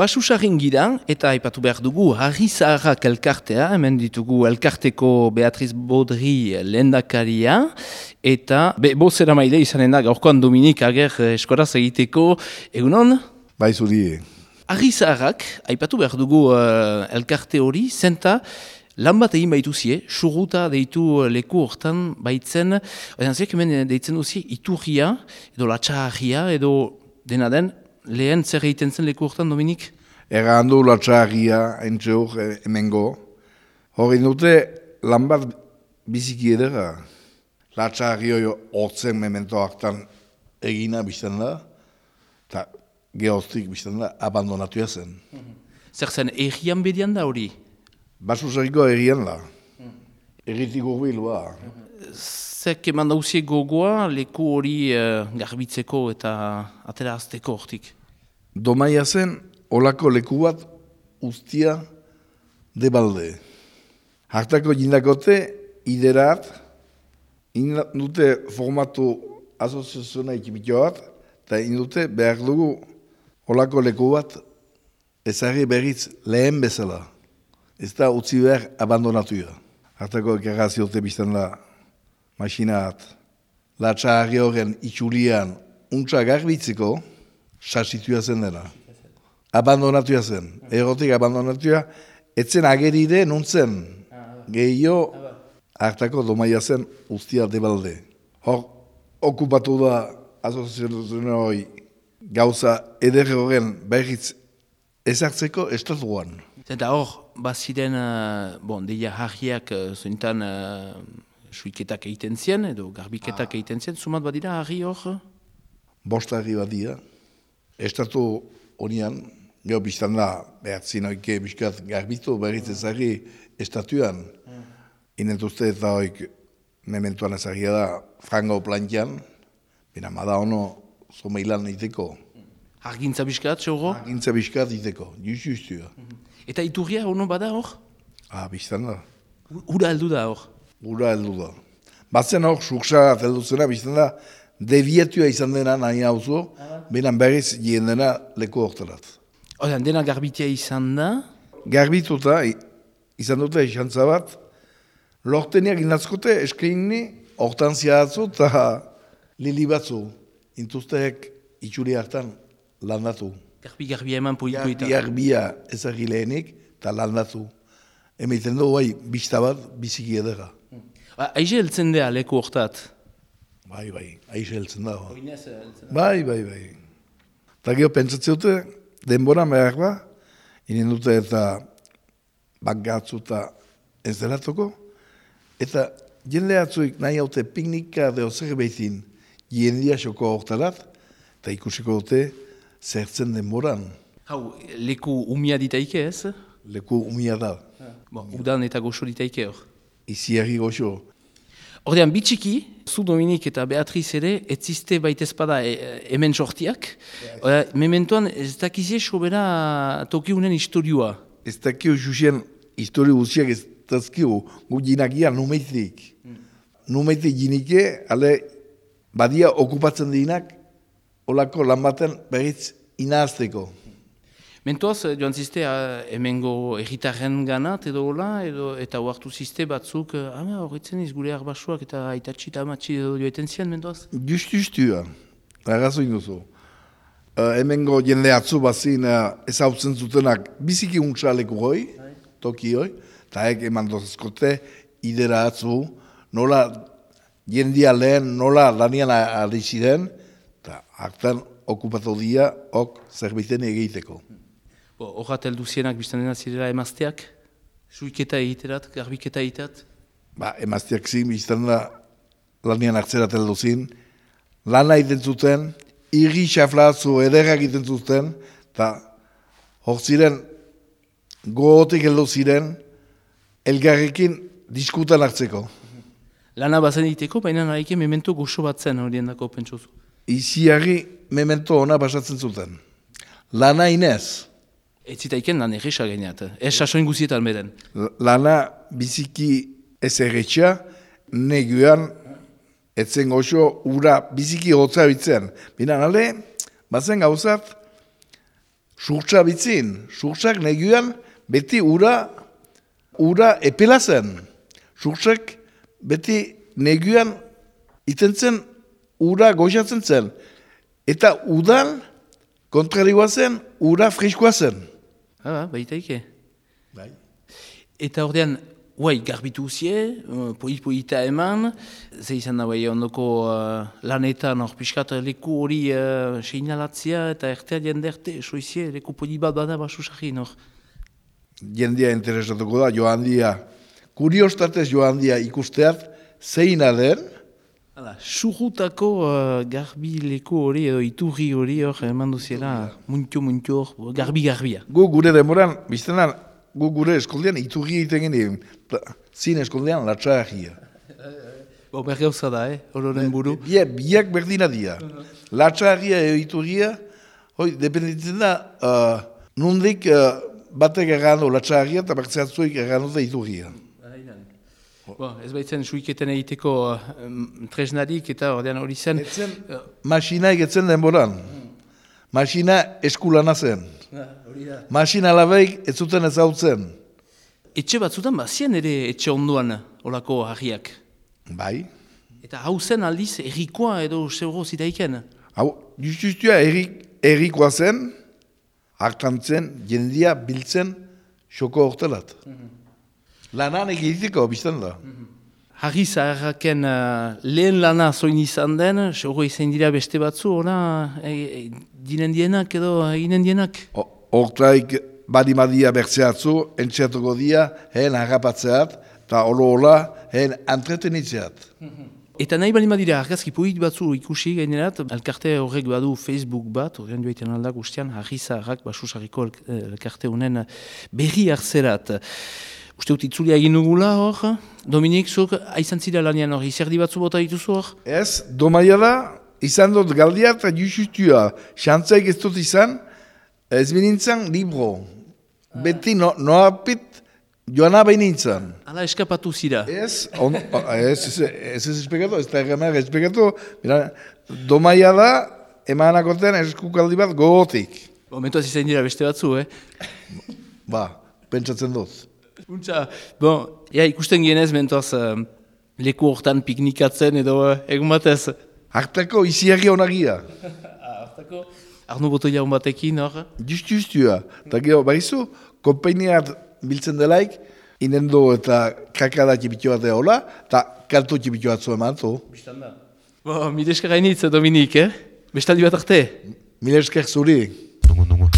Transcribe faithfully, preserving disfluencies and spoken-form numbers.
Basusarrin gira, eta aipatu behar dugu Harri Zaharrak elkartea, hemen ditugu elkarteko Beatriz Bodri lehendakaria, eta be, bozera maile izanen da gaurkoan Dominik Ager eskoraz egiteko, egunon? Bai zuri. Harri Zaharrak, aipatu behar dugu uh, elkarte hori, zenta lan bat egin baituzie, surruta deitu leku hortan baitzen, odan ziak hemen deitzen duzie iturria, edo latxaharria, edo dena den, lehen zer egiten zen leku hortan, Dominik? Ega handu latxaharria, entxe hor, emengo. Hori dute, lan bat biziki edera. Latxaharri hori hortzen memento hartan egina bizten da, eta gehoztik bizten da, abandonatu zen. Zer zen, errian bedian da hori? Basusarriko errian da. Erritik urbil, ba. Zek eman dauzie gogoa leku hori uh, garbitzeko eta atera azteko hortik? Domaia zen, olako leku bat ustia debalde. Hartako jindakote, iderat, indute formatu asoziazioa ikipitio bat, eta indute behar dugu olako leku bat ezarri berriz lehen bezala. Ez da utzi behar abandonatuja. Hartako ekarraziote bizten da masinat, latxaharri horren itxulian untsa garbitzeko, sasituia zen dena. Abandonatuia zen. Erotik abandonatuia, etzen ageride nuntzen. Gehio, hartako domaia zen ustia debalde. Hor, okupatu da asoziazioen hori gauza eder horren berriz ezartzeko estatuan. Eta hor, baziren, uh, bon, deia harriak uh, zointan uh, suiketak egiten zien, edo garbiketak ah. egiten zien, sumat badira harri hor? Bost harri badia. Estatu honian, geho biztan da, behatzin oike biskat garbitu, berriz ezagri estatuan. Mm. Inentuzte eta oik mementuan ezagia da, frango plantian, bina mada ono zomeilan iteko. Hargintza biskat, xorro? Hargintza biskat iteko, just-justua. Mm. Eta iturria ono bada hor? Ah, biztan da. Ura heldu da hor? Ura heldu da. Batzen hor, suksa heldu zena, biztan da, devietua izan dena nahi hauzo, ah. Benan berriz jien dena leku hortarat. Odan, dena garbitia izan da? Garbituta, izan dute esantza bat, lorteniak inatzkote eskeini, hortan ziatzu eta lili batzu, intuzteek itxuri hartan landatu. Garbi-garbia eman poipoita. Garbi-garbia ezagri lehenik eta landatu. Hemeiten du, bai, bizta bat, biziki edera. Ba, aize heltzen da leku hortat? Bai, bai, aize heltzen da. Oinez heltzen da. Bai, bai, bai. Eta geho pentsatzen dute, denbora behar ba, inen dute eta bagatzu eta ez delatuko, eta jende atzuik nahi haute piknika deo zer behitin jendia xoko hortarat, eta ikusiko dute zertzen denboran. Hau, leku umia ditaike ez? Leku umia da. Bon, udan eta goxo ditaike hor. Iziarri goxo. Ordean, bitxiki, zu Dominik eta Beatriz ere, etziste baitezpada e, hemen sortiak. Yes. Mementoan, ez dakizie sobera tokiunen historioa. Ez dakio jusien historio guziak ez dazkio, gu jinakia numeitik. Hmm. Numeitik jinike, ale badia okupatzen dinak, olako lan baten berriz inazteko. Mentoaz, joan ziste, hemengo erritarren ganat edo hola, edo, eta huartu ziste batzuk, ama horretzen iz gure arbasuak eta aitatxi eta amatxi edo joeten zian, mentoaz? Just, justua, errazoin duzu. Uh, hemengo jende atzu bazin uh, ez hau zutenak biziki untxaleku hoi, toki hoi, eta ek eman dozkote, idera atzu, nola jendia lehen, nola lanian adiziren, eta hartan okupatu dia, ok zerbiten egiteko. Horrat heldu zienak biztan dena zirela emazteak? Suiketa egiterat, garbiketa egiterat? Ba, emazteak zin, biztan da lanian hartzerat heldu zin. Lana egiten zuten, irri xaflatzu ederrak egiten zuten, eta hor ziren, gogotik heldu ziren, elgarrekin diskutan hartzeko. Lana bazen egiteko, baina nahike memento goxo bat zen horien dako pentsozu. Iziarri memento ona basatzen zuten. Lana inez. Ez zitaiken lan erresa gaineat, ez sasoin guzietan beren. Lana biziki ez erretxa, neguan, etzen goxo, ura biziki hotza bitzen. Bina, nale, bazen gauzat, surtsa bitzin, surtsak neguan beti ura, ura epela zen. Surtsak beti neguan itentzen ura goxatzen zen. Eta udan kontrarioa zen, ura freskoa zen. Ah, baitaike. Bai. Eta ordean, guai, garbitu uzie, uh, poit-poita eman, ze izan da bai ondoko uh, lanetan hor piskat leku hori uh, seinalatzia eta ertea jenderte, soizie, leku polit bat bada basusarri hor. Jendia interesatuko da, joan dia, kuriostatez joan dia ikusteat, zeina den, Hala, surutako uh, garbi leku hori edo iturri hori hor eman duziela, muntio-muntio hor, garbi-garbia. gu gure demoran, biztenan, gu gure eskoldean iturri egiten genien, zin eskoldean latxarria. Bo, bergauza da, eh, hororen buru. Bia, biak berdina dira. Latxarria edo iturria, hoi, dependitzen da, uh, nondik uh, batek errando latxarria eta bertzeatzuik errando da iturria. Bo, ez baitzen suiketen egiteko um, tresnarik eta ordean hori zen. Etzen, masina egetzen denboran. Masina eskulana zen. Masina labeik ez zuten ezautzen. Etxe batzutan bazien ere etxe onduan olako harriak. Bai. Eta hau zen aldiz errikoa edo zeuro zitaiken. Hau, justustua errikoa zen, hartantzen, jendia biltzen, xoko hortelat. Lanan egiteko, biztan da. Harri zaharraken uh, lehen lana zoin izan den, zeuro izan dira beste batzu, ona, e, e, dinen dienak edo eginen dienak. Hortaik badimadia bertzeatzu, entxeatuko dia, hen harrapatzeat, eta olo-ola, hen entretenitzeat. Eta nahi bali madira argazki poit batzu ikusi gainerat, elkarte horrek badu Facebook bat, horrean joaiten aldak ustean, harri zaharrak basusarriko elkarte honen berri hartzerat. Uste dut itzulia egin dugula hor, Dominik, zuk aizan zira lanian hor, izerdi batzu bota dituzu hor? Ez, domaia da, izan dut galdia eta justua, xantzaik ez dut izan, ez binintzen libro. Beti no, noapit joana behin nintzen. Hala eskapatu zira. Ez, on, ez, ez, ez ez espekatu, ez da egamer espekatu, domaia da, emanakoten eskukaldi bat gogotik. Momentuaz izan dira beste batzu, eh? Ba, pentsatzen dut. Untza, bon, ja, ikusten gienez, mentoaz, uh, leku hortan piknikatzen edo uh, egun batez. Hartako iziarri onagia. Hartako? Arno botoia hon batekin, hor? Just, justua. Eta gero, baizu, konpainiat biltzen delaik, inendo eta kakada txipitu bat eola, eta kanto txipitu bat zuen manto. Bistanda. Bo, mire esker gainitz, Dominik, eh? Bestaldi bat arte? Mire esker zuri. Dungu, dungu.